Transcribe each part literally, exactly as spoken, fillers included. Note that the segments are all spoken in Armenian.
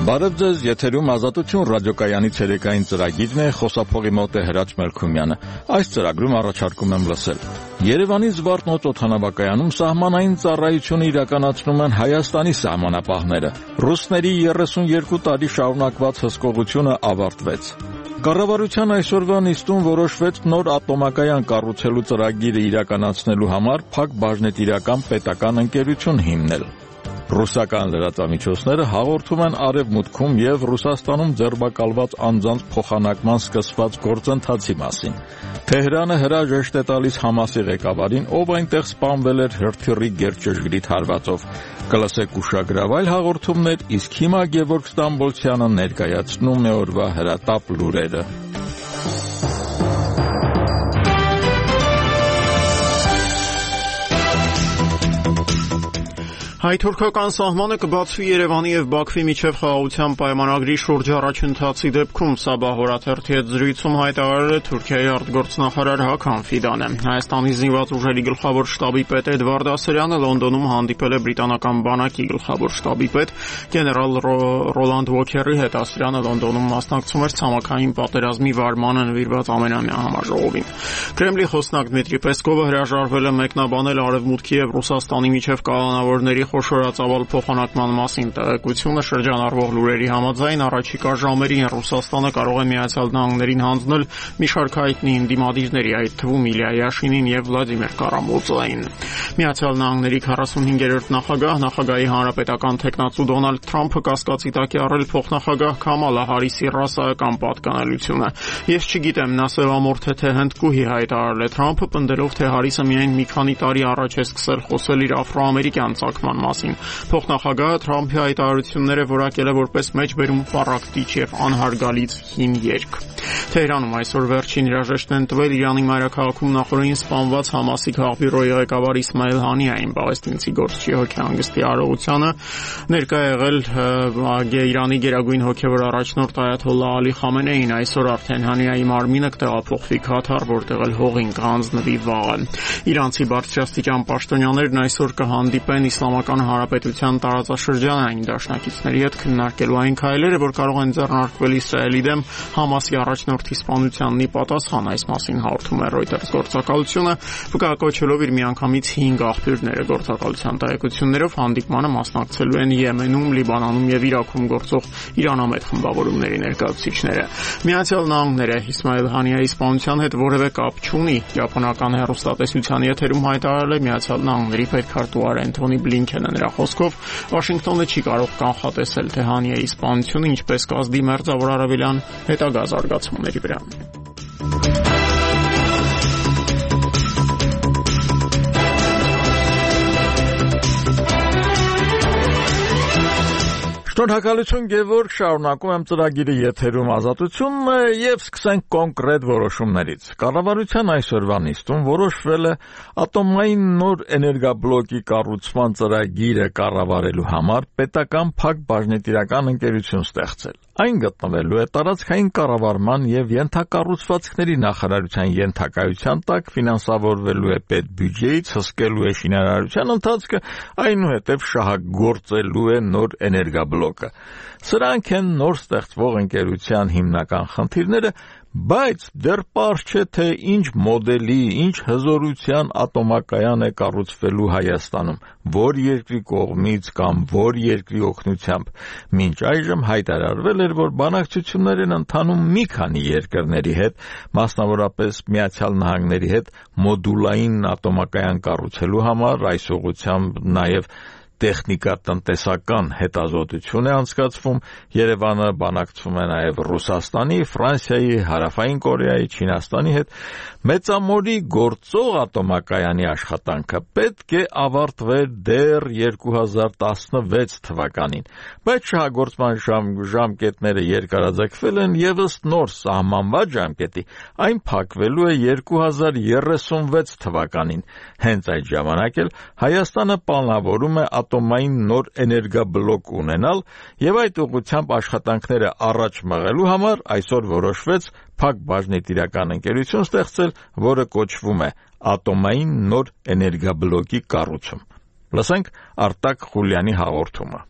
Բարև ձեզ, եթերում Ազատություն ռադիոկայանի ցերեկային ծրագիրն է, խոսափողի մոտ է Հրաչ Մելքումյանը։ Այս ծրագրում առաջարկում եմ լսել. Երևանի Զվարթնոց օդանավակայանում սահմանային ծառայություն իրականացնում են Հայաստանի սահմանապահները։ Ռուսների երեսունյերկու տարի շարունակված հսկողությունը ավարտվեց։ Կառավարության այսօրվա նիստում որոշվեց նոր ատոմակայան կառուցելու ծրագիրը իրականացնելու համար փակ բաժնետիրական պետական ընկերություն հիմնել։ Ռուսական լրատվամիջոցները հաղորդում են Արևմուտքում եւ Ռուսաստանում ձերբակալված անձանց փոխանակման սկսված գործընթացի մասին։ Թեհրանը հրաժեշտ է տալիս Համասի ղեկավարին, ով այնտեղ սպանվել էր հրթիռի գերճշգրիտ հարվածով։ Կլսեք ուշագրավ այլ հաղորդումներ, իսկ հիմա Գևորգ Ստամբոլցյանը ներկայացնում է օրվա հրատապ լուրերը։ Հայ-թուրքական սահմանը կբացվի Երևանի եւ Բաքվի միջև խաղաղության պայմանագրի շուրջ առաջընթացի դեպքում, Սաբահ օրաթերթի հետ զրույցում հայտարարել է Թուրքիայի արտգործնախարար Հաքան Ֆիդանը։ Հայաստանի զինված ուժերի գլխավոր շտաբի պետ Էդվարդ Ասրյանը Լոնդոնում հանդիպել է բրիտանական բանակի գլխավոր շտաբի պետ գեներալ Ռոլանդ Ուոքերի հետ։ Ասրյանը Լոնդոնում մասնակցում էր ցամաքային պատերազմի վարմանը նվիրված ամենամյա համաժողովին։ Կրեմլի խոսնակ Դմիտրի Պեսկովը հրաժարվել է մեկնաբանել Արևմուտքի եւ Ռուսաստանի միջև կալանավորների խոշորածավալ փոխանակման մասին տեղեկությունը շրջանառվող լուրերի համաձայն առաջիկա ժամերին Ռուսաստանը կարող է Միացյալ Նահանգներին հանձնել մի շարք հայտնի ընդդիմադիրների, այդ թվում Իլյա Յաշինին եւ Վլադիմիր Կարամուրզային։ Միացյալ Նահանգների քառասունհինգերորդ նախագահ, նախագահի հանրապետական թեկնածու Դոնալդ Թրամփը կասկածի տակ է առել փոխնախագահ Քամալա Հարիսի ռասայական պատկանելությունը։ Ես չգիտեմ, նա սևամորթ է թե հնդկուհի, հայտարարել է Թրամփը, պնդելով, թե Հարիսը միայն մի քանի տարի առաջ է սկսել խոսել իր աֆրոամերիկյան ցակման մասին։ Փոխնախագահը Թրամփի հայտարարությունները որակել է որպես մեջբերում պառակտիչ եւ անհարգալից հին երգ։ Թեհրանում այսօր վերջին հրաժեշտն են տվել Իրանի մայրաքաղաքում նախորդին սպանված Համասի քաղբյուրոյի ղեկավար Իսմայել Հանիային, պաղեստինցի գործչի հոգեհանգստի արարողությանը ներկա եղել Իրանի գերագույն հոգևոր առաջնորդ Այաթոլլահ Ալի Խամենեին։ Այսօր արդեն Հանիայի մարմինը կտեղափոխվի Քաթար, որտեղ էլ հողին կհանձնվի վաղը։ Իրանցի բարձրաստիճան պաշտոնյաներն այսօր կհանդիպեն Իսլամական Հանրապետության տարածաշրջանային դաշնակիցների հետ քննարկելու այն քայլերը, որ կարող են ձեռնարկվել Իսրայելի դեմ Համասի առաջնորդի սպանությանն ի պատասխան։ Այս մասին հաղորդում է Reuters գործակալությունը, վկայակոչելով իր միանգամից հինգ աղբյուրները։ Գործակալության տեղեկություններով հանդիպմանը մասնակցելու են Եմենում, Լիբանանում եւ Իրաքում գործող իրանամետ խմբավորումների ներկայացուցիչները։ Միացյալ Նահանգները Իսմայել Հանիայի սպանության հետ որևէ կապ չունի։ Ճապոնական հեռուստատեսության եթերում հայտարարել է Միացյալ Նահանգների պետքարտուղար Անթոնի Բլինքենը։ Նրա խոսքով Վաշինգտոնը չի կարող կանխատեսել, թե Հանիայի սպանությունը ինչպես կազդի Մերձավոր Արևելյան հետագա զարգացումների վրա։ Շնորհակալություն Գևորգ, շարունակում եմ ծրագիրը եթերում Ազատությունն է եւ սկսենք կոնկրետ որոշումներից։ Կառավարության այսօրվա նիստում որոշվել է ատոմային նոր էներգաբլոկի կառուցման ծրագիրը կառավարելու համար պետական փակ բաժնետիրական ընկերություն ստեղծել։ Այն գտնվելու է տարածքային կառավարման եւ ենթակառուցվածքների նախարարության ենթակայության տակ, ֆինանսավորվելու է պետբյուջեից, հսկելու է շինարարության ընթացքը, այնուհետև շահագործելու է նոր էներգաբլոկը։ Սրանք են նոր ստեղծվող ընկերության հիմնական խնդիրները, բայց դեռ պարզ չէ, թե ինչ մոդելի, ինչ հզորության ատոմակայան է կառուցվելու Հայաստանում, որ երկրի կողմից կամ որ երկրի օգնությամբ։ Մինչ այժմ հայտարարվել էր, որ բանակցություններ են ընթանում մի քանի երկրների հետ, մասնավորապես Միացյալ Նահանգների հետ մոդուլային ատոմակայան կառուցելու համար, այս ուղղությամբ նաև տեխնիկա-տնտեսական հետազոտություն է անցկացվում։ Երևանը բանակցում է նաև Ռուսաստանի, Ֆրանսիայի, Հարավային Կորեայի, Չինաստանի հետ։ Մեծամորի գործող ատոմակայանի աշխատանքը պետք է ավարտվեր դեռ երկու հազար տասնվեց թվականին, բայց շահագործման ժամ, ժամկետները երկարաձգվել են եւ ըստ նոր սահմանված ժամկետի այն փակվելու է երկու հազար երեսունվեց թվականին։ Հենց այդ ժամանակ էլ Հայաստանը պլանավորում է ատոմային նոր էներգաբլոկ ունենալ եւ այդ ուղղությամբ աշխատանքները առաջ մղելու համար այսօր որոշվեց փակ բաժնետիրական ընկերություն ստեղծել, որը կոչվում է Ատոմային նոր էներգաբլոկի կառուցում։ Լսենք Արտակ Խուլյանի հաղորդումը։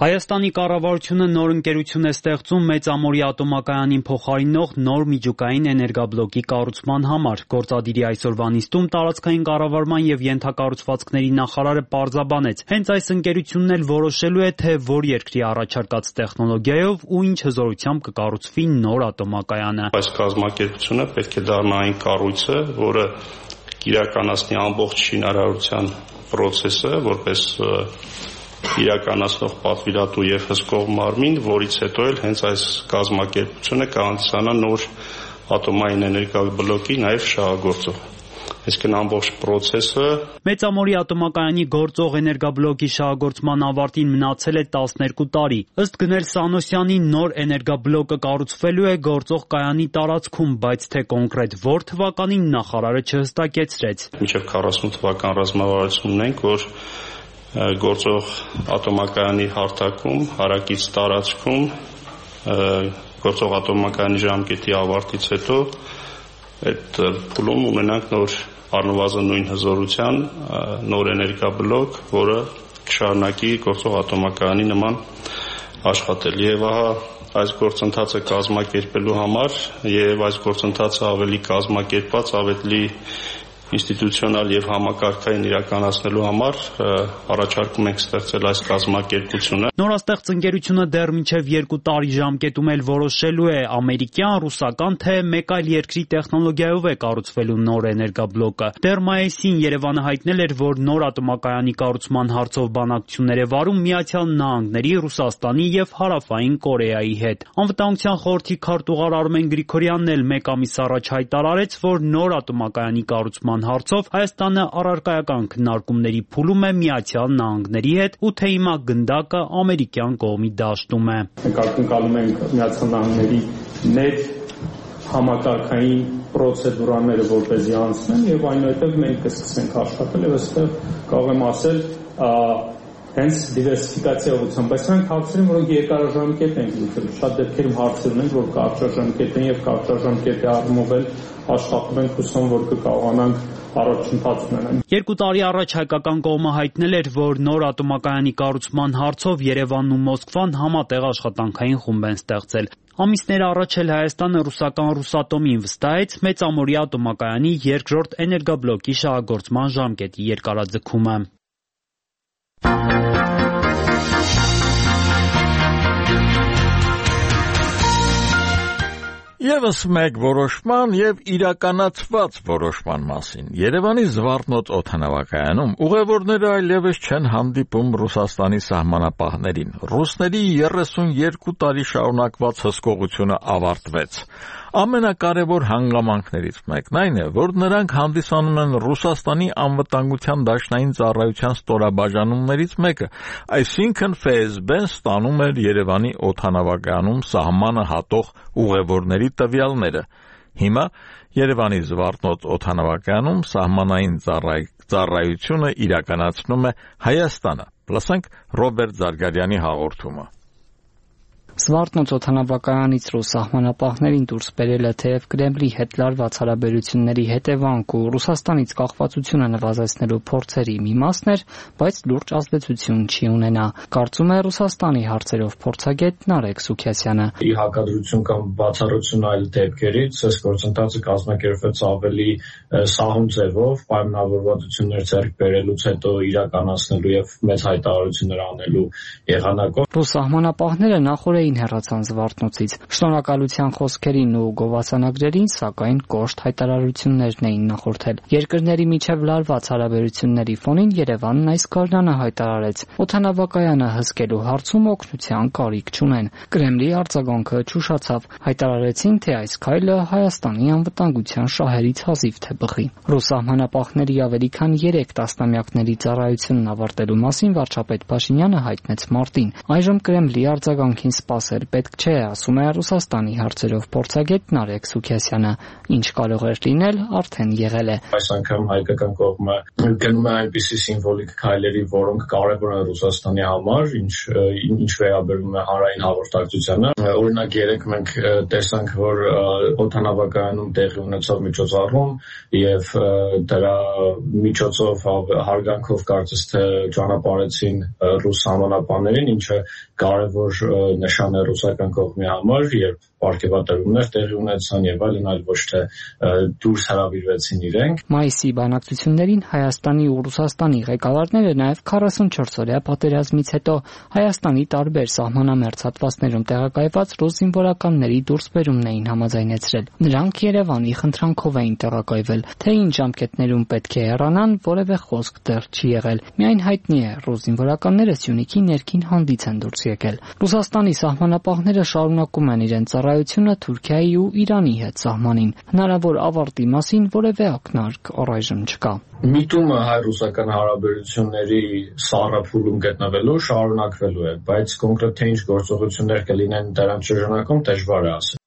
Հայաստանի կառավարությունը նոր ընկերություն է ստեղծում Մեծամորի ատոմակայանին փոխարինող նոր միջուկային էներգաբլոկի կառուցման համար։ Գործադիրի այսօրվա նիստում տարածքային կառավարման եւ ենթակառուցվածքների նախարարը պարզաբանեց, հենց այս ընկերությունն էլ որոշելու է, թե որ երկրի առաջարկած տեխնոլոգիայով ու ինչ հզորությամբ կկառուցվի նոր ատոմակայանը։ Այս կազմակերպությունը պետք է դառնա այն կառույցը, որը իրականացնի ամբողջ շինարարության process-ը, որպես իրականացնող պատվիրատու եւ հսկող մարմին, որից հետո էլ հենց այս կազմակերպությունը կհանդիսանա նոր ատոմային էներգաբլոկի նաեւ շահագործող։ Այսինքն ամբողջ process-ը Մեծամորի ատոմակայանի գործող էներգաբլոկի շահագործման ավարտին մնացել է տասներկու տարի։ Ըստ Գնել Սանոսյանի նոր էներգաբլոկը կառուցվելու է գործող կայանի տարածքում, բայց թե կոնկրետ որ թվականին նախարարը չհստակեցրեց։ Մինչև քառասուն թվական ռազմավարություն ունենք, որ գործող ատոմակայանի հարթակում, հարակից տարածքում գործող ատոմակայանի ժամկետի ավարտից հետո այդ փուլում ունենանք նոր առնվազն նույն հզորության նոր էներգաբլոկ, որը կշարունակի գործող ատոմակայանի նման աշխատել։ Եվ ահա այս գործընթացը կազմակերպելու համար եւ այս գործընթացը ավելի կազմակերպված, ավելի ինստիտուցիոնալ եւ համակարգային իրականացնելու համար առաջարկում ենք ստեղծել այս կազմակերպությունը։ Նորաստեղծ ընկերությունը դեռ մինչև երկու տարի ժամկետում էլ որոշելու է ամերիկյան, ռուսական, թե մեկ այլ երկրի տեխնոլոգիայով է կառուցվելու նոր էներգաբլոկը։ Դեռ մայիսին Երևանը հայտնել էր, որ նոր ատոմակայանի կառուցման հարցով բանակցություններ է վարում Միացյալ Նահանգների, Ռուսաստանի եւ Հարավային Կորեայի հետ։ Անվտանգության խորհրդի քարտուղար Արմեն Գրիգորյանն էլ մեկ ամիս առաջ հայտարարեց, որ նոր ատոմակայանի կառուցման հարցով Հայաստանը առարկայական քննարկումների փուլում է Միացյալ Նահանգների հետ ու թե հիմա գնդակը ամերիկյան կողմի դաշտում է։ Մենք ակնկալում ենք Միացյալ Նահանգների նետ համակարգային պրոցեդուրաները որպեսզի անցնեն եւ այնուհետեւ մենք կսկսենք աշխատել եւ այստեղ կարող եմ ասել հենց դիվերսիֆիկացիա ուղղությամբ, բայց նրանք հարցեր են, որոնք երկարաժամկետ են լուծել։ Շատ դեպքերում հարցեր ունենք, որ կարճաժամկետ են եւ կարճաժամկետի առումով էլ աշխատում ենք, հուսամ, որ կկարողանանք առաջընթաց ունենալ։ Երկու տարի առաջ հայկական կողմը հայտնել էր, որ նոր ատոմակայանի կառուցման հարցով Երևանն ու Մոսկվան համատեղ աշխատանքային խումբ են ստեղծել։ Ամիսներ առաջ էլ Հայաստանը ռուսական Ռուսատոմին վստահեց Մեծամորի ատոմակայանի երկրորդ էներգաբլոկի շահագործման ժամկետի երկարաձգումը։ Եվս մեկ որոշման եւ իրականացված որոշման մասին։ Երևանի Զվարթնոց օդանավակայանում ուղևորները այլևս չեն հանդիպում Ռուսաստանի սահմանապահներին։ Ռուսների երեսունյոթ տարի շարունակված հսկողությունը ավարտվեց։ Ամենակարևոր հանգամանքներից մեկն այն է, որ նրանք հանդիսանում են Ռուսաստանի անվտանգության դաշնային ծառայության ստորաբաժանումներից մեկը, այսինքն Ֆ S B-ն ստանում էր Երևանի օդանավակայանում սահմանը հատող ուղևորների տվյալները։ Հիմա Երևանի Զվարթնոց օդանավակայանում սահմանային ծառայությունը իրականացնում է Հայաստանը։ Լսենք Ռոբերտ Զարգարյանի հաղորդումը։ Զվարթնոց օդանավակայանից ռուս սահմանապահներին դուրս բերելը թեև Կրեմլի հետ լարված հարաբերությունների հետևանք ու Ռուսաստանից կախվածությունը նվազեցնելու փորձերի մի մասն էր, բայց լուրջ ազդեցություն չի ունենա, կարծում է Ռուսաստանի հարցերով փորձագետ Նարեկ Սուքիասյանը։ Ի հակադրություն կամ բացառություն այլ դեպքերից, այս գործընթացը կազմակերպվեց ավելի սահուն ձևով, պայմանավորվածություններ ձեռք բերելուց հետո իրականացնելու եւ մեծ հայտարարություններ անելու եղանակով։ Ռուս սահմանապահները նախորդ հեռացան Զվարթնոցից։ Շնորհակալության խոսքերին ու գովասանագրերին, սակայն կոշտ հայտարարություններն էին նախորդել։ Երկրների միջև լարված հարաբերությունների ֆոնին Երևանն այս գարնանը հայտարարեց, օդանավակայանը հսկելու հարցում օգնության կարիք չունեն։ Կրեմլի արձագանքը չուշացավ։ Հայտարարեցին, թե այս քայլը Հայաստանի անվտանգության շահերից հազիվ թե բխի։ Ռուս սահմանապահների ավելի քան երեք տասնամյակների ծառայությունն ավարտելու մասին վարչապետ Փաշինյանը հայտնեց մարտին։ Այժմ Կրեմլի արձագանքին սպասել պետք չէ, ասում է Ռուսաստանի հարցերով փորձագետ Նարեկ Սուքիասյանը։ Ինչ կարող էր լինել, արդեն եղել է։ Այս անգամ հայկական կողմը գնում է այնպիսի սիմվոլիկ քայլերի, որոնք կարևոր են Ռուսաստանի համար, ինչ ինչ վերաբերում է հանրային հաղորդակցությանը։ Օրինակ երեք մենք տեսանք, որ օդանավակայանում տեղի ունեցավ միջոցառում եւ դրա միջոցով հարգանքով կարծես թե ճանապարհեցին ռուս համանապաններին, ինչը կարևոր նշան է ռուսական կողմի համար, երբ պարգևատրումներ տեղի ունեցան եւ այլն, այլ ոչ թե դուրս հրավիրվեցին իրենք։ Մայիսի բանակցություններին Հայաստանի ու Ռուսաստանի ղեկավարները նաեւ քառասունչորսօրյա պատերազմից հետո Հայաստանի տարբեր սահմանամերձ հատվածներում տեղակայված ռուս զինվորականների դուրսբերումն էին համաձայնեցրել։ Նրանք Երևանի խնդրանքով էին տեղակայվել, թե ինչ ժամկետներում պետք է հեռանան, որևէ խոսք դեռ չի եղել։ Միայն հայտնի է, ռուս զինվորականները Սյունիքի ներքին հանդից են դուրս եկել։ Ռուսաստանի սահմանապահները շարունակում են իրենց ծառայությունը Թուրքիայի ու Իրանի հետ սահմանին։ Հնարավոր ավարտի մասին որևէ ակնարկ առայժմ չկա։ Միտումը հայ-ռուսական հարաբերությունների սառափուլում գտնվելու շարունակվելու է, բայց կոնկրետ թե ինչ գործողություններ կլինեն դրանց շրջանակում դժվար է ասել։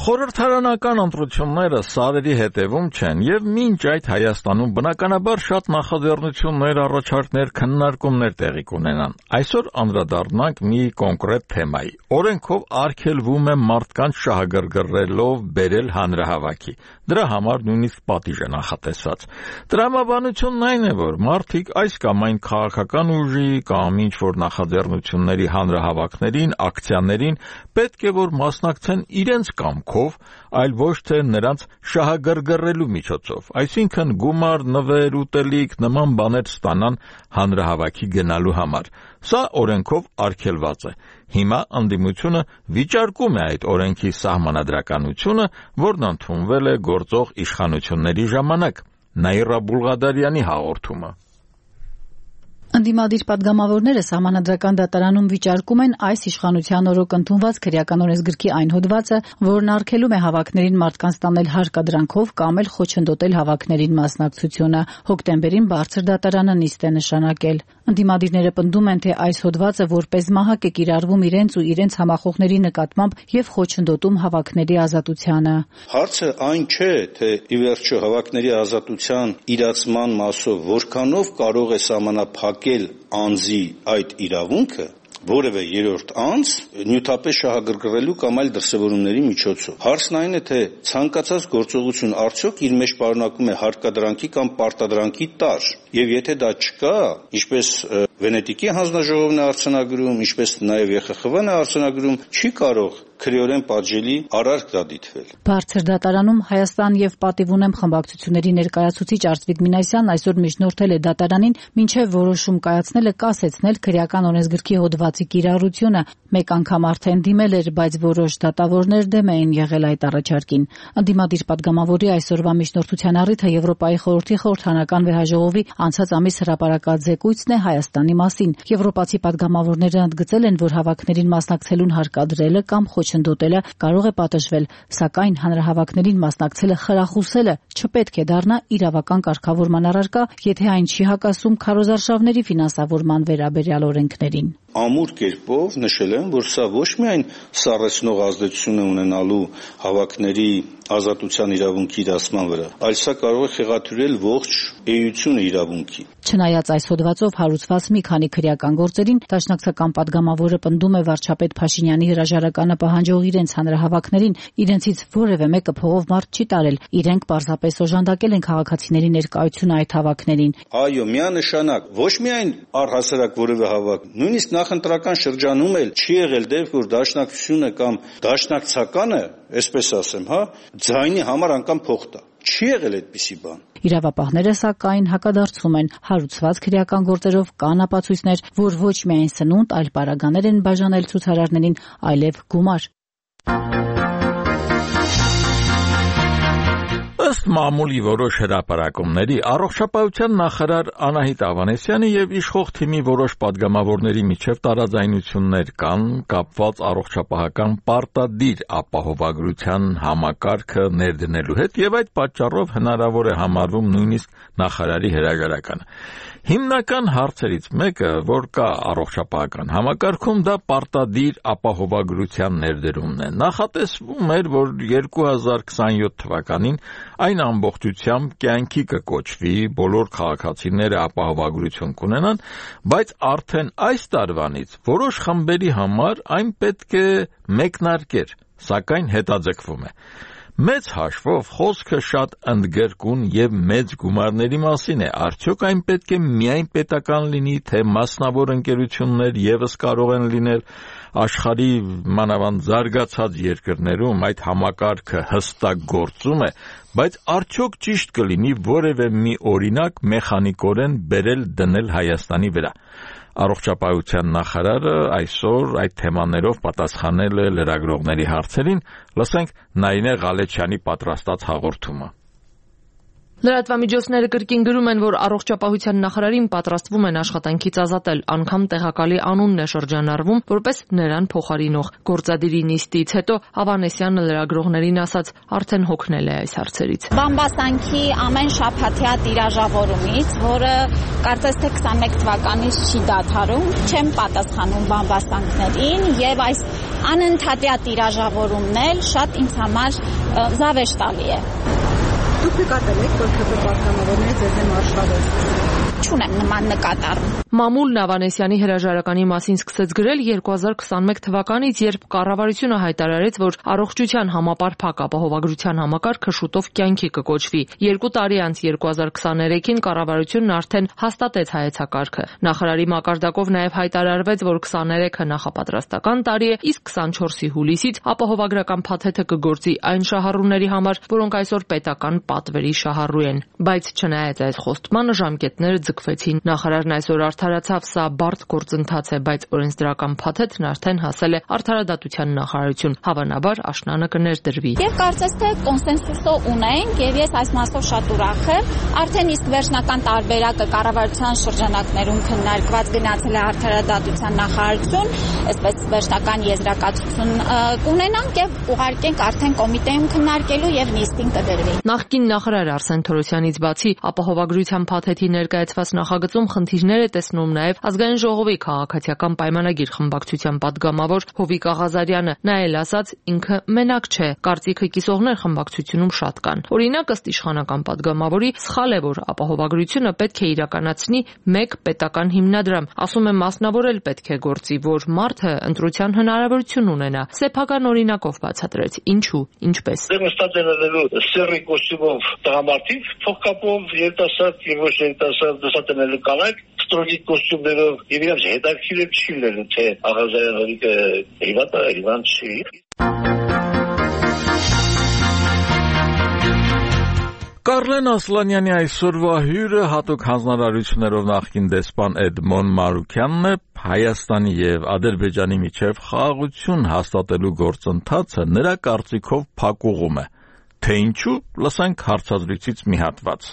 Խորհրդարանական ընտրությունները սարերի հետևում չեն եւ մինչ այդ Հայաստանում բնականաբար շատ նախաձեռնություններ, առաջարկներ, քննարկումներ տեղի կունենան։ Այսօր անդրադառնանք մի կոնկրետ թեմայի։ Օրենքով արգելվում է մարդկանց շահագրգռելով բերել հանրահավաքի։ Դրա համար նույնիսկ պատիժ է նախատեսված։ Տրամաբանությունն այն է, որ մարդիկ այս կամ այն քաղաքական ուժի կամ ինչ որ նախաձեռնությունների հանրահավաքներին, ակցիաներին պետք է որ մասնակցեն իրենց կամքով, այլ ոչ թե նրանց շահագրգռելու միջոցով, այսինքն գումար, նվեր, ուտելիք, նման բաներ ստանան հանրահավաքի գնալու համար։ Սա օրենքով արգելված է։ Հիմա ընդդիմությունը վիճարկում է այդ օրենքի սահմանադրականությունը, որն ընդունվել է գործող իշխանությունների ժամանակ։ Նաիրա Բուլղադարյանի հաղորդումը։ Ընդդիմադիր պատգամավորները Սահմանադրական դատարանում վիճարկում են այս իշխանության օրոք ընդունված քրեական օրենսգրքի այն հոդվածը, որն արգելում է հավաքներին մարդկանց տանել հարկադրանքով կամ էլ խոչընդոտել հավաքներին մասնակցությունը։ Հոկտեմբերին բարձր դատարանը նիստ է նշանակել։ Ընդդիմադիրները պնդում են, թե այս հոդվածը որպես մահակ է կիրառվում իրենց ու իրենց համախոհների նկատմամբ եւ խոչընդոտում հավաքների ազատությանը։ Հարցը այն չէ, թե ի վերջո հավաքների ազատության իրացման մասով որքանով կարող է սահմանափակել անձի այդ իրավունքը որևէ երրորդ անձ նյութապես շահագրգռելու կամ այլ դրսևորումների միջոցով։ Հարցն այն է, թե ցանկացած գործողություն արդյոք իր մեջ պարունակում է հարկադրանքի կամ պարտադրանքի տար, եւ եթե դա չկա, ինչպես Վենետիկի հանձնաժողովն է արձանագրում, ինչպես նաեւ Է Խ Խ Վն է արձանագրում, չի կարող քրեորեն պատժելի արարք դա դիտվել։ Բարձր դատարանում Հայաստան եւ Պատիվ ունեմ խմբակցությունների ներկայացուցիչ Արծվիկ Մինասյանն այսօր միջնորդել է դատարանին, մինչեւ որոշում կայացնելը կասեցնել քրեական օրենսգրքի հոդվածի կիրառությունը։ Մեկ անգամ արդեն դիմել էր, բայց որոշ դատավորներ դեմ էին եղել այդ առաջարկին։ Ընդդիմադիր պատգամավորի այսօրվա միջնորդության առիթը Եվրոպայի խորհրդի խորհրդանական վեհաժողովի անցած ամիս հրապարակած զեկույցն է Հայաստանի մասին։ Եվրոպացի պատգամավորները ընդգծել են, որ հավաքներին մասնակցելուն հարկադրելը կամ խոչընդոտելը կարող է պատժվել, սակայն հանրահավաքներին մասնակցելը խրախուսելը չպետք է դառնա իրավական կարգավորման առարկա, եթե այն չի հակասում քարոզարշավների ֆինանսավորման վերաբերյալ օրենքներին։ Ամուր կերպով նշել եմ, որ սա ոչ միայն սառեցնող ազդեցություն է ունենալու հավաքների ազատության իրավունքի իրացման վրա, այլ սա կարող է խեղաթյուրել ողջ էությունը իրավունքի։ Չնայած այս հոդվածով հարուցված մի քանի քրեական գործերին, դաշնակցական պատգամավորը պնդում է վարչապետ Փաշինյանի հրաժարականը պահանջող իրենց հանրահավաքներին իրենցից որևէ մեկը փողով մարդ չի տարել, իրենք պարզապես օժանդակել են քաղաքացիների ներկայությունը այդ հավաքներին։ Այո, միանշանակ, ոչ միայն առհասարակ որևէ հավաք, նույնիսկ նախընտրական շրջանում էլ չի եղել դեպք, որ դաշնակցությունը կամ դաշնակցականը, այսպես ասեմ, հա, ձայնի համար անգամ փող տա։ Չի եղել այդպիսի բան։ Իրավապահները սակայն հակադարձում են, հարուցված քրեական գործերով կան ապացույցներ, որ ոչ միայն սնունդ, այլ պարագաներ են բաժանել ցուցարարներին, այլև գումար։ Ըստ մամուլի որոշ հրապարակումների առողջապահության նախարար Անահիտ Ավանեսյանի եւ իշխող թիմի որոշ падգամավորների միջև տարաձայնություններ կան կապված առողջապահական պարտադիր ապահովագրության համակարգը ներդնելու հետ եւ այդ պատճառով հնարավոր է համարվում նույնիսկ նախարարի հրաժարականը։ Հիմնական հարցերից մեկը, որ կա առողջապահական համակարգում, դա պարտադիր ապահովագրության ներդրումն է։ Նախատեսվում էր, որ երկու հազար քսաներորդ թվականին այն ամբողջությամբ կյանքի կկոչվի, բոլոր քաղաքացիները ապահովագրություն կունենան, բայց արդեն այս տարվանից որոշ խմբերի համար այն պետք է մեկնարկեր, սակայն հետաձգվում է։ Մեծ հաշվով խոսքը շատ ընդգրկուն եւ մեծ գումարների մասին է, արդյոք այն պետք է միայն պետական լինի, թե մասնավոր ընկերություններ եւս կարող են լինել, աշխարհի մանավանդ զարգացած երկրներում այդ համակարգը հստակ գործում է, բայց արդյոք ճիշտ կլինի որևէ մի օրինակ մեխանիկորեն բերել դնել Հայաստանի վրա։ Առողջապահության նախարարը այսօր այդ թեմաներով պատասխանել է լրագրողների հարցերին, լսենք Նայինե Ղալեչյանի պատրաստած հաղորդումը։ Լրատվամիջոցները կրկին գրում են, որ առողջապահության նախարարին պատրաստվում են աշխատանքից ազատել, անգամ տեղակալի անունն է շրջանառվում, որպես նրան փոխարինող։ Գործադիրի նիստից հետո Ավանեսյանը լրագրողներին ասաց, արդեն հոգնել է այս հարցերից։ Բամբասանքի ամեն շաբաթյա տիրաժավորումից, որը կարծես թե քսաներորդ թվականից չի դադարում, չեմ պատասխանում բամբասանքներին եւ այս անընդհատյա տիրաժավորումն էլ շատ ինձ համար զավեշտալի է։ Դուք նկատել եք, որ ՔՊ պատգամավորները ձեզ դեմ արշավեցին։ Չունեմ նման նկատառում։ Մամուլն Ավանեսյանի հրաժարականի մասին սկսեց գրել երկու հազար քսաներորդ թվականից, երբ կառավարությունը հայտարարեց, որ առողջության համապարփակ ապահովագրության համակարգը շուտով կյանքի կկոչվի։ Երկու տարի անց երկու հազար քսաներեքին կառավարությունն արդեն հաստատեց հայեցակարգը։ Նախարարի մակարդակով նաև հայտարարվեց, որ քսաներեքը նախապատրաստական տարի է, իսկ քսանչորսի հուլիսից ապահովագրական փաթեթը կգործի այն շահառուների համար, որոնք այսօր պետական պատվերի շահառու են։ Բայց չնայած այս խոստմանը ժամկետները ձգվեցին։ Նախարարն այսօր արդարացավ, սա բարդ գործընթաց է, բայց օրենսդրական փաթեթն արդեն հասել է Արդարադատության նախարարություն, հավանաբար աշնանը կներդրվի։ Եվ կարծես թե կոնսենսուսը ունենք, եւ ես այս մասով շատ ուրախ եմ։ Արդեն իսկ վերջնական տարբերակը կառավարության շրջանակներում քննարկված գնացել է Արդարադատության նախարարություն, այսպես վերջնական եզրակացություն կունենանք եւ ուղարկենք արդեն կոմիտեում քննարկելու եւ նիստին կդրվի։ Նախկին նախարար Արսեն Թորոսյանից բացի ապահովագրության փաթեթի ներկայացված նախագծում խնդիրներ է տեսնում նաև Ազգային ժողովի քաղաքացիական պայմանագիր խմբակցության падգամավոր Հովիկ Աղազարյանը, նա էլ ասաց, ինքը մենակ չէ, կարծիքը կիսողներ խմբակցությունում շատ կան։ Օրինակ, ըստ իշխանական падգամավորի, սխալ է, որ ապահովագրությունը պետք է իրականացնի մեկ պետական հիմնադրամ, ասում է մասնավորել պետք է գործի, որ մարդը ընտրության հնարավորություն ունենա։ Սեփական օրինակով բացատրեց, ինչու, ինչպես։ Սերի կոստյումով տղամարդիկ, փոխկապով երիտասարդ եւ ոչ երիտասարդ դասատենելու կանայք, ստրոգիկ կոստյումներով եւ իրենց հետաքրքիր չի լինելու, թե Աղազարյանը հիվանդ է, հիվանդ չի։ Կարլեն Ասլանյանի այսօրվա հյուրը հատուկ հանձնարարություններով նախկին դեսպան Էդմոն Մարուքյանն է։ Հայաստանի եւ Ադրբեջանի միջև խաղաղություն հաստատելու գործընթացը նրա կարծիքով փակուղում է։ Թե ինչու, լսենք հարցազրույցից մի հատված։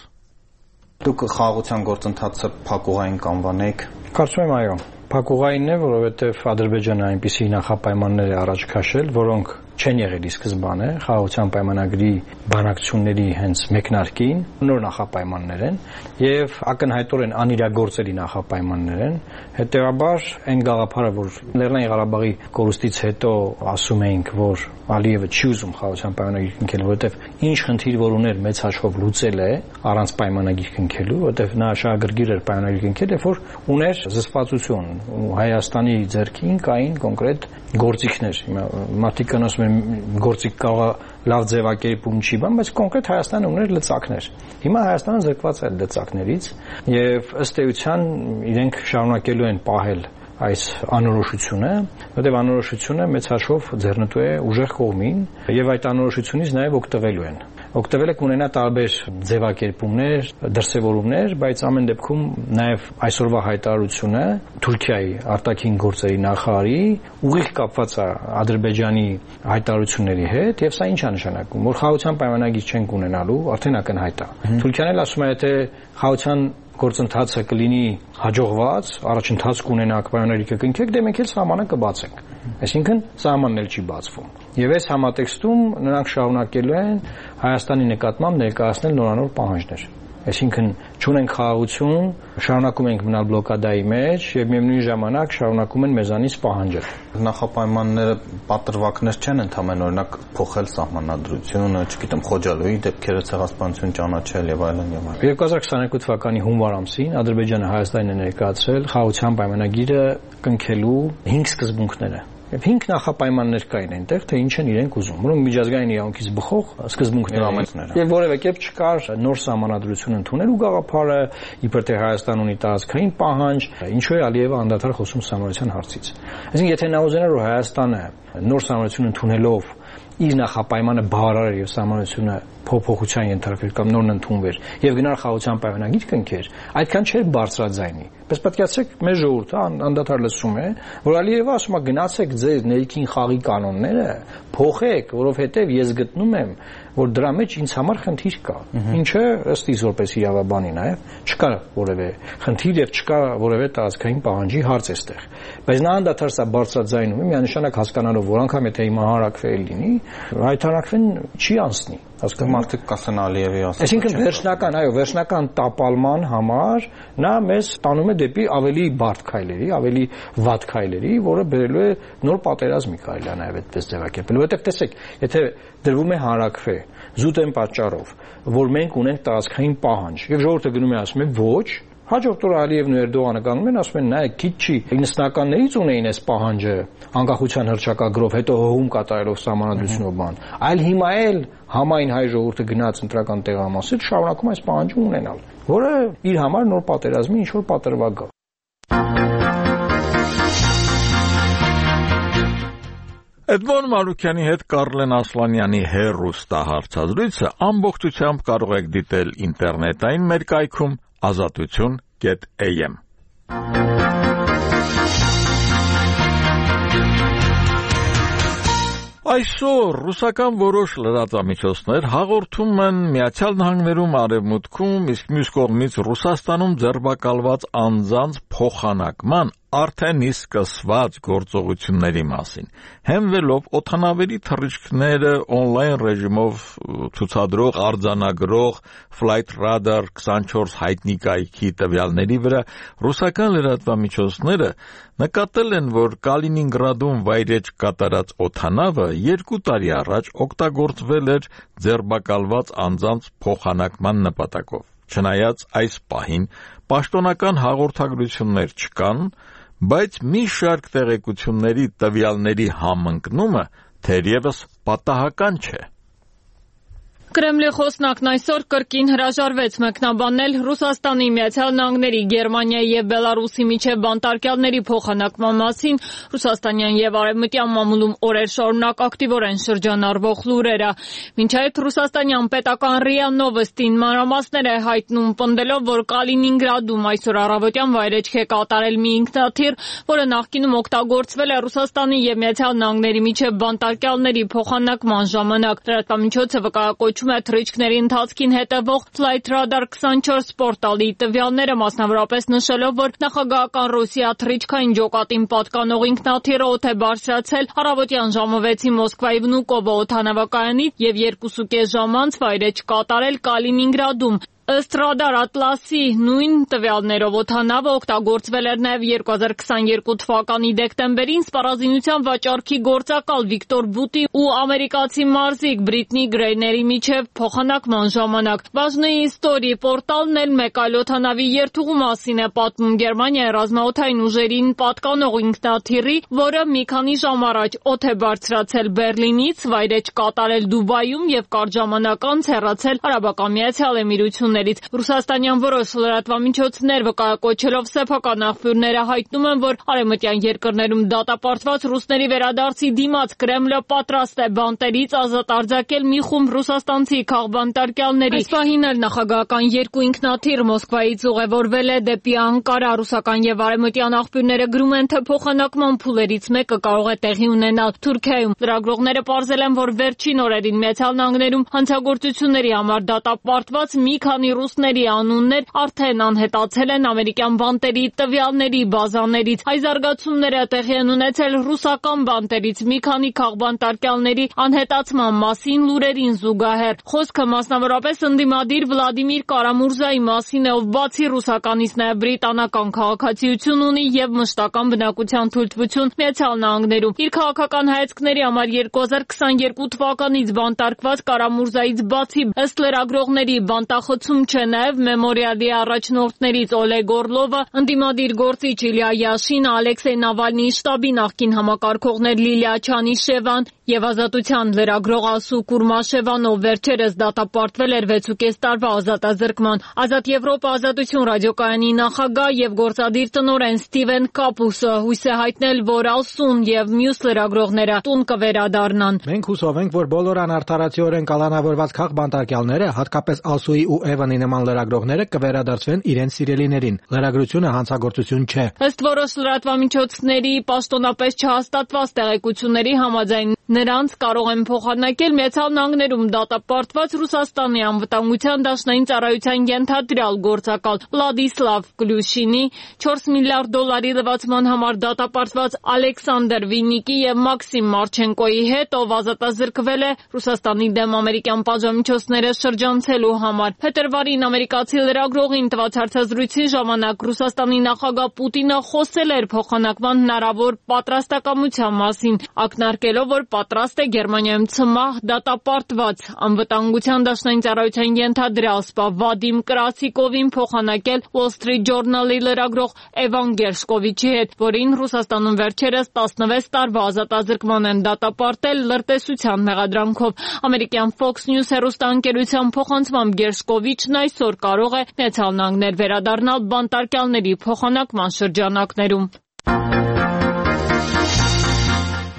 Դուք խաղաղության գործընթացը փակուղային կանվանեք։ Կարծում եմ այո, փակուղային է, որովհետեւ Ադրբեջանը այնպիսի նախապայմաններ է առաջ քաշել, որոնք չեն եղել ի սկզբանե խաղաղության պայմանագրի բանակցությունների հենց մեկնարկին, նոր նախապայմաններ են եւ ակնհայտորեն անիրագործելի նախապայմաններ են։ Հետեւաբար այն գաղափարը, որ Լեռնային Ղարաբաղի կորուստից հետո ասում էինք, որ Ալիևը չի ուզում խաղաղության պայմանագիր կնքել, որովհետեւ ինչ խնդիր որ ուներ մեծ հաշվով լուծել է առանց պայմանագիր կնքելու, որովհետեւ նա շահագրգիռ էր պայմանագիր կնքել, երբ որ ուներ զսպվածություն ու Հայաստանի ձեռքին կային կոնկրետ գործիքներ։ Մարդիկ ասում են գործիք կարող է լավ ձևակերպում չի բան, բայց կոնկրետ Հայաստանը ուներ լծակներ։ Հիմա Հայաստանը զրկված է լծակներից եւ ըստ էության իրենք շարունակելու են պահել այս անորոշությունը, որտեղ անորոշությունը մեծ հաշվով ձեռնտու է ուժեղ կողմին եւ այդ անորոշությունից նաեւ օգտվելու են։ օգտվել է կունենա տարբեր ձևակերպումներ, դրսևորումներ, բայց ամեն դեպքում նաև այսօրվա հայտարարությունը Թուրքիայի արտաքին գործերի նախարարի ուղիղ կապված է Ադրբեջանի հայտարարությունների հետ, եւ սա ինչ է նշանակում, որ խաղաղության պայմանագիր չենք ունենալու, արդեն ակնհայտ է։ Թուրքիան էլ ասում է, եթե խաղաղության գործընթացը կլինի հաջողված, առաջընթաց կունենաք, պայմանների կկնքեք, դե մենք էլ սահմանը կբացենք։ Այսինքն սահմանն էլ չի բացվում։ Եվ այս համատեքստում նրանք շարունակելու են Հայաստանի նկատմամբ ներկայացնել նորանոր պահանջներ։ Այսինքն չունենք խաղաղություն, շարունակում ենք մնալ բլոկադայի մեջ եւ միևնույն ժամանակ շարունակում են մեզանից պահանջել։ Նախապայմանները պատրվակներ չեն ընդհանրեն, օրինակ փոխել սահմանադրությունը, չգիտեմ, Խոջալոյի դեպքերը ցեղասպանություն ճանաչել եւ այլն եւ այլն։ երկու հազար քսաներկու թվականի հունվար ամսին Ադրբեջանը Հայաստանին է ներկայացրել խաղաղության պայմանագիրը կնքելու հինգ սկզբունքները։ Եվ հինգ նախապայմաններ կային այնտեղ, թե ինչ են իրենք ուզում, որոնք միջազգային իրավունքից բխող սկզբունքներ են։ Եվ որևէ կերպ չկար նոր սահմանադրություն ընդունելու գաղափարը, իբր թե Հայաստան ունի տարածքային պահանջ, ինչու է Ալիևը անդադար խոսում սահմանության հարցից։ Այսինքն, եթե նա ուզենար, որ Հայաստանը նոր սահմանություն ընդունելով իր նախապայմանը բավարար եւ սահմանությունը փոփոխության ենթարկվեր կամ նորն ընդունվեր եւ գնար խաղաղության պայմանագիր կնքեր, այդքան չէր բարձրաձայնի։ Պես պատկերացրեք, մեր ժողովուրդը անդադար լսում է, որ Ալիևը ասում է գնացեք ձեր ներքին խաղի կանոնները փոխեք, որովհետեւ ես գտնում եմ, որ դրա մեջ ինձ համար խնդիր կա։ Ինչը ըստ իս որպես իրավաբանի նաեւ չկա որևէ խնդիր եւ չկա որևէ տարածքային պահանջի հարց էստեղ։ Բայց նա անդադար սա բարձրաձայնում է, միանշանակ հասկանալով, որ անգամ եթե հիմա հարակվել լինի, հայտարարքվեն չի անցնի։ Ասկա մարդիկ կասեն Ալիևի ասած։ Այսինքն վերջնական, այո, վերջնական տապալման համար նա մեզ տանում է դեպի ավելի բարդ քայլերի, ավելի վատ քայլերի, որը բերելու է նոր պատերազմի քայլը նաև այդպես ձևակերպել։ Որովհետև տեսեք, եթե դրվում է հարակվե զուտ են պատճառով, որ մենք ունենք տարածքային պահանջ, եւ ժողովուրդը գնում է ասում է ոչ, հաջորդ օրը Ալիևն ու Էրդողանը կանգնում են ասում են նայեք քիչ չի իննսնականներից ունեին այս պահանջը անկախության հռչակագրով հետո հողում կատարելով սահմանադրությունով բան այլ հիմա էլ համայն հայ ժողովուրդը գնաց ընտրական տեղամասից շարունակում այս պահանջը ունենալ որը իր համար նոր պատերազմի ինչ որ պատրվակ գա Էդմոն Մանուկյանի հետ Կարլեն Ասլանյանի հեռուստահարցազրույցը ամբողջությամբ կարող եք դիտել ինտերնետային մեր կայքում ազատություն կետ էյ էմ Այսօր ռուսական որոշ լրատվամիջոցներ հաղորդում են Միացյալ Նահանգներում արևմուտքում, իսկ մյուս կողմից Ռուսաստանում ձերբակալված անձանց փոխանակման արդեն իսկ սկսված գործողությունների մասին։ Հենվելով օդանավերի թռիչքները on-line ռեժիմով ցուցադրող արձանագրող Flight Radar twenty-four հայտնի կայքի տվյալների վրա ռուսական լրատվամիջոցները նկատել են, որ Կալինինգրադում վայրեջ կատարած օդանավը երկու տարի առաջ օգտագործվել էր ձերբակալված անձանց փոխանակման նպատակով։ Չնայած այս պահին պաշտոնական հաղորդագրություններ չկան, բայց մի շարք տեղեկությունների տվյալների համընկնումը թերևս պատահական չէ։ Կրեմլի խոսնակն այսօր կրկին հրաժարվեց մեկնաբանել Ռուսաստանի, Միացյալ Նահանգների, Գերմանիայի եւ Բելարուսի միջև բանտարկյալների փոխանակման մասին ռուսաստանյան եւ արևմտյան մամուլում օրեր շարունակ ակտիվորեն շրջանառվող լուրերը։ Մինչ այդ ռուսաստանյան պետական ՌԻԱ Նովոստին մանրամասներ է հայտնում, պնդելով, որ Կալինինգրադում այսօր առավոտյան վայրեջք է կատարել մի ինքնաթիռ, որը նախկինում օգտագործվել է Ռուսաստանի եւ Միացյալ Նահանգների միջև բանտարկյալների փոխանակման ժամանակ։ Լրատվամիջոցը վկայակոչում է թռիչքների ընթացքին հետևող Flight Radar twenty-four պորտալի տվյալները, մասնավորապես նշելով, որ նախագահական Ռուսիա թռիչքային ջոկատին պատկանող ինքնաթիռը օդ է բարձրացել առավոտյան ժամը վեցի Մոսկվայի Վնուկովո օդանավակայանից եւ երկուսուկես ժամ անց վայրեջ կատարել Կալինինգրադում։ Ըստ Radar Atlas-ի նույն տվյալներով օդանավը օգտագործվել էր նաև երկու հազար քսաներկու թվականի դեկտեմբերին սպառազինության վաճառքի գործակալ Վիկտոր Բուտի ու ամերիկացի մարզիկ Բրիտնի Գրեյների միջև փոխանակման ժամանակ։ Բաժնի Story պորտալն էլ մեկ այլ օդանավի երթուղու մասին է պատմում Գերմանիայի ռազմաօդային ուժերին պատկանող ինքնաթիռի, որը մի քանի ժամ առաջ օդ է բարձրացել Բերլինից, վայրեջ կատարել Դուբայում եւ կարճ ժամանակ անց հեռացել Արաբական Միացյալ Էմիրություններ։ հրապարակումներից։ Ռուսաստանյան որոշ լրատվամիջոցներ վկայակոչելով սեփական աղբյուրները հայտնում են, որ արևմտյան երկրներում դատապարտված ռուսների վերադարձի դիմաց Կրեմլը պատրաստ է բանտերից ազատ արձակել մի խումբ ռուսաստանցի քաղբանտարկյալների։ Այս պահին էլ նախագահական երկու ինքնաթիռ Մոսկվայից ուղևորվել է դեպի Անկարա։ Ռուսական եւ արևմտյան աղբյուրները գրում են, թե փոխանակման փուլերից մեկը կարող է տեղի ունենալ Թուրքիայում։ Լրագրողները պարզել են, որ վերջին օրերին Միացյալ Նահանգներում հանցագործությունների համար դատապարտված մի քանի ռուսների անուններ արդեն անհետացել են ամերիկյան բանտերի տվյալների բազաներից։ Այս զարգացումները տեղի են ունեցել ռուսական բանտերից մի քանի քաղբանտարկյալների անհետացման մասին լուրերին զուգահեռ։ Խոսքը մասնավորապես ընդդիմադիր Վլադիմիր Կարամուրզայի մասին է, ով բացի ռուսականից նաև բրիտանական քաղաքացիություն ունի եւ մշտական բնակության թույլտվություն Միացյալ Նահանգներում։ Իր քաղաքական հայացքների համար երկու հազար քսաներկու թվականից բանտարկված Կարամուրզայից բացի ըստ լրագրողների բանտախցում չէ նաև Մեմորիալի առաջնորդներից Օլեգ Օրլովը, ընդդիմադիր գործիչ Իլյա Յաշինը, Ալեքսեյ Նավալնիի շտաբի նախկին համակարգողներ Լիլիա Չանիշևան եւ Ազատության լրագրող Ասու Կուրմաշևան, ով վերջերս դատապարտվել էր վեցուկես տարվա ազատազրկման։ Ազատ Եվրոպա Ազատություն ռադիոկայանի նախագահ եւ գործադիր տնօրեն Ստիվեն Կապուսը հույս է հայտնել, որ Ասուն եւ մյուս լրագրողները տուն կվերադառնան։ Մենք հուսով ենք, որ բոլոր անարդարացիորեն կալանավորված քաղբանտարկյալները, հատկապես Ասուի ու Էվանի նման լրագրողները կվերադարձվեն իրենց սիրելիներին։ Լրագրությունը հանցագործություն չէ։ Ըստ որոշ լրատվամիջոցների պաշտոնապես չհաստատված տեղեկությունների համաձայն նրանց կարող են փոխանակել Միացյալ Նահանգներում դատապարտված Ռուսաստանի անվտանգության դաշնային ծառայության ենթադրյալ գործակալ Վլադիսլավ Կլյուշինի, չորս միլիարդ դոլարի լվացման համար դատապարտված Ալեքսանդր Վինիկի եւ Մաքսիմ Մարչենկոյի հետ, ով ազատազրկվել է Ռուսաստանի դեմ ամերիկյան պատժամիջոցները շրջանցելու համար։ Փետրվարին ամերիկացի լրագրողին տված հարցազրույցի ժամանակ Ռուսաստանի նախագահ Պուտինը խոսել էր փոխանակման հնարավոր պատրաստակամության մասին, ակնարկելով, որ պատրաստ է Գերմանիայում ցմահ դատապարտված անվտանգության դաշնային ծառայության ենթադրյալ սպա Վադիմ Կրասիկովին փոխանակել Wall Street Journal-ի լրագրող Էվան Գերշկովիչի հետ, որին Ռուսաստանում վերջերս տասնվեց տարվա ազատազրկման են դատապարտել լրտեսության մեղադրանքով։ Ամերիկյան Fox News հեռուստաընկերության փոխանցմամբ Գերշկովիչն այսօր կարող է Միացյալ Նահանգներ վերադառնալ բանտարկյալների փոխանակման շրջանակներում։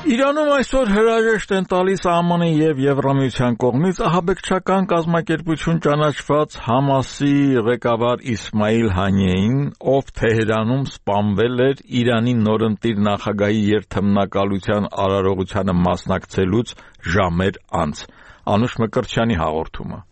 Իրանում այսօր հրաժեշտ են տալիս ԱՄՆ-ի եւ Եվրամիության կողմից ահաբեկչական կազմակերպություն ճանաչված Համասի ղեկավար Իսմայիլ Հանիեին, ով Թեհրանում սպանվել էր Իրանի նորընտիր նախագահի երթմնակալության արարողությանը մասնակցելուց ժամեր անց։ Անուշ Մկրտչյանի հաղորդումը։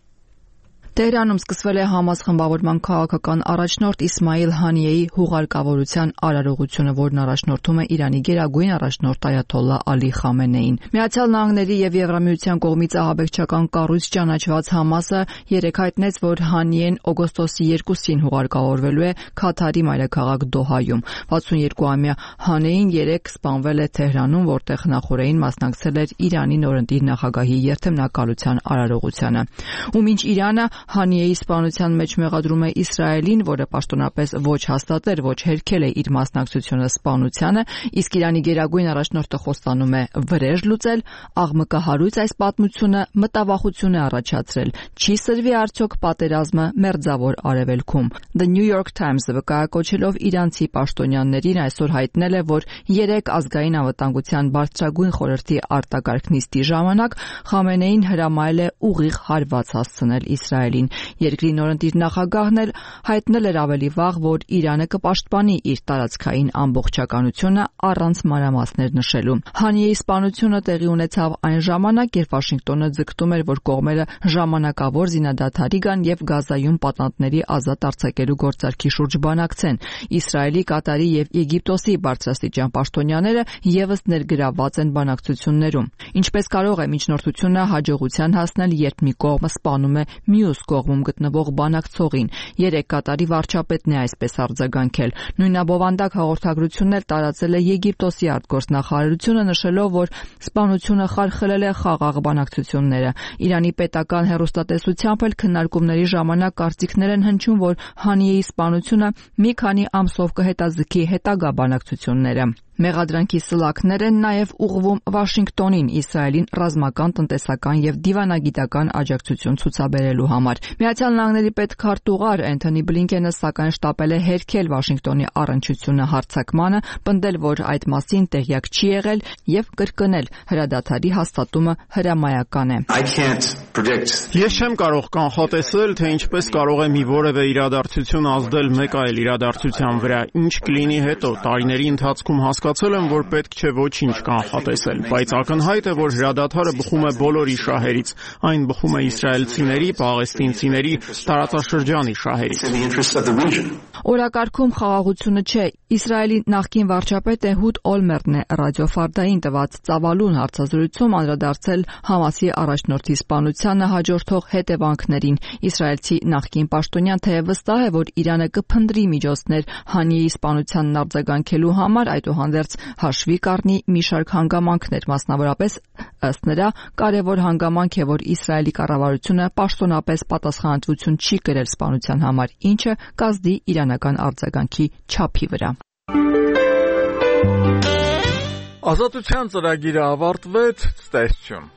Տեհրանում սկսվել է Համաս խմբավորման քաղաքական առաջնորդ Իսմայիլ Հանիեի հուղարկավորության արարողությունը, որն առաջնորդում է Իրանի գերագույն առաջնորդ Այաթոլլա Ալի Խամենեին։ Միացյալ Նահանգների եւ Եվրամիության կողմից ահաբեկչական կառույց ճանաչված Համասը երեկ հայտնեց, որ Հանիեն օգոստոսի երկուսին հուղարկավորվելու է Քաթարի մայրաքաղաք Դոհայում։ վաթսունյոթ-ամյա Հանեին երեկ սպանվել է Թեհրանում, որտեղ նախորդին մասնակցել էր Իրանի նորընտիր նախագահի երթմնակալության արարողությանը։ Ու մինչ Իրանը Հանիեի սպանության մեջ մեղադրում է Իսրայելին, որը պաշտոնապես ոչ հաստատել, ոչ հերքել է իր մասնակցությունը սպանությանը, իսկ Իրանի գերագույն առաջնորդը խոստանում է վրեժ լուծել, աղմկահարույց այս պատմությունը մտավախություն է առաջացրել։ Չի սրվի արդյոք պատերազմը մերձավոր արևելքում։ The New York Times-ը վկայակոչելով իրանցի պաշտոնյաներին այսօր հայտնել է, որ երեք ազգային անվտանգության բարձրագույն խորհրդի արտակարգ նիստի ժամանակ Խամենեին հրամայել է ուղիղ հարված հասցնել Իսրայելին։ Երկրի նորընտիր նախագահն էլ հայտնել էր ավելի վաղ, որ Իրանը կպաշտպանի իր տարածքային ամբողջականությունը առանց մանրամասներ նշելու։ Հանիեի սպանությունը տեղի ունեցավ այն ժամանակ, երբ Վաշինգտոնը ձգտում էր, որ կողմերը ժամանակավոր զինադադարի գան եւ Գազայում պատանդների ազատ արձակելու գործարքի շուրջ բանակցեն։ Իսրայելի, Կատարի եւ Եգիպտոսի բարձրաստիճան պաշտոնյաները եւս ներգրավված են բանակցություններում։ Ինչպես կարող է միջնորդությունը հաջողության հասնել, երբ մի կողմը սպանում է մյուս կողմում գտնվող բանակցողին։ Երեք Կատարի վարչապետն է այսպես արձագանքել։ Նույնաբովանդակ հաղորդագրությունն էլ տարածել է Եգիպտոսի արտգործնախարարությունը, նշելով, որ սպանությունը խարխլել է խաղաղ բանակցությունները։ Իրանի պետական հեռուստատեսությամբ էլ քննարկումների ժամանակ կարծիքներ են հնչում, որ Հանիեի սպանությունը մի քանի ամսով կհետաձգի հետագա բանակցությունները։ Մեղադրանքի սլաքներ են նաև ուղղվում Վաշինգտոնին Իսրայելին ռազմական, տնտեսական եւ դիվանագիտական աջակցություն ցուցաբերելու համար։ Միացյալ Նահանգների պետքարտուղար Էնթոնի Բլինքենը սակայն շտապել է հերքել Վաշինգտոնի առնչությունը հարձակմանը, պնդել, որ այդ մասին տեղյակ չի եղել եւ կրկնել հրադադարի հաստատումը հրամայական է։ Ես չեմ կարող կանխատեսել, թե ինչպես կարող է մի որևէ իրադարձություն ազդել մեկ այլ իրադարձության վրա, ինչ կլինի հետո։ Տարիների ընթացքում հասկացել եմ, որ պետք չէ ոչինչ կանխատեսել, բայց ակնհայտ է, որ հրադադարը բխում է բոլորի շահերից, այն բխում է իսրայելցիների, պաղեստինցիների, տարածաշրջանի շահերից։ Օրակարգում խաղաղությունը չէ։ Իսրայելի նախկին վարչապետ Էհուդ Օլմերտն է ռադիո Ֆարդային տված ծավալուն հարցազրույցում անդրադարձել Համասի առաջնորդի սպանությանը հաջորդող հետևանքներին։ Իսրայելցի նախկին պաշտոնյան թեև վստահ է, որ Իրանը կփնտրի միջոցներ Հանիեի սպանությանն արձագանքելու համար, այդուհանդերձ հաշվի կառնի մի շարք հանգամանքներ, մասնավորապես ըստ նրա կարևոր հանգամանք է, որ Իսրայելի կառավարությունը պաշտոնապես պատասխանատվություն չի կրել սպանության համար, ինչը կազդի իրանական արձագանքի չափի վրա։ Ազատության ծրագիրը ավարտվեց, ցտեսություն։